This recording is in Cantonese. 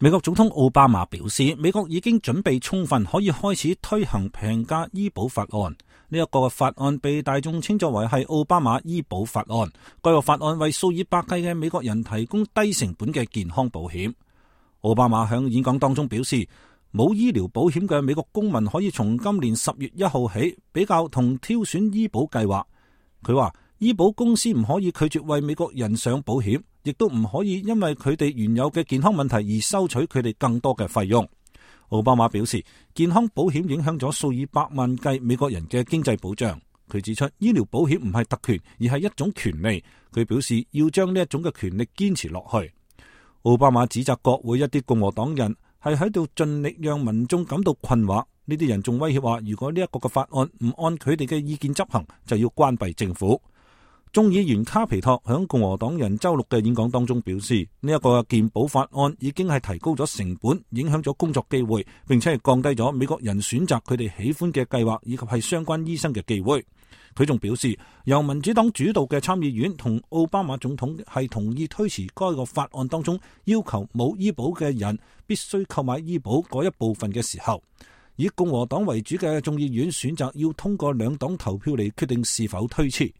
美國總統奧巴馬表示，美國已經準備充分，可以開始推行平價醫保法案。呢一個法案被大眾稱作為係奧巴馬醫保法案。該個法案為數以百計嘅美國人提供低成本嘅健康保險。奧巴馬喺演講當中表示，冇醫療保險嘅美國公民可以從今年10月1號起比較同挑選醫保計劃。佢話，醫保公司唔可以拒絕為美國人上保險，亦都唔可以因為佢哋原有嘅健康問題而收取佢哋更多嘅費用。奧巴馬表示，健康保險影響咗數以百萬計美國人嘅經濟保障。佢指出，醫療保險唔係特權，而係一種權利。佢表示要將呢一種嘅權利堅持落去。奧巴馬指責國會一啲共和黨人係喺度盡力讓民眾感到困惑。呢啲人仲威脅話，如果呢一個嘅法案唔按佢哋嘅意見執行，就要關閉政府。眾議員卡皮托響共和黨人周六嘅演講當中表示，呢一個健保法案已經係提高咗成本，影響咗工作機會，並且係降低咗美國人選擇佢哋喜歡嘅計劃以及係相關醫生嘅機會。佢仲表示，由民主黨主導嘅參議院同奧巴馬總統係同意推遲該個法案當中要求冇醫保嘅人必須購買醫保嗰一部分嘅時候，以共和黨為主嘅眾議院選擇要通過兩黨投票嚟決定是否推遲。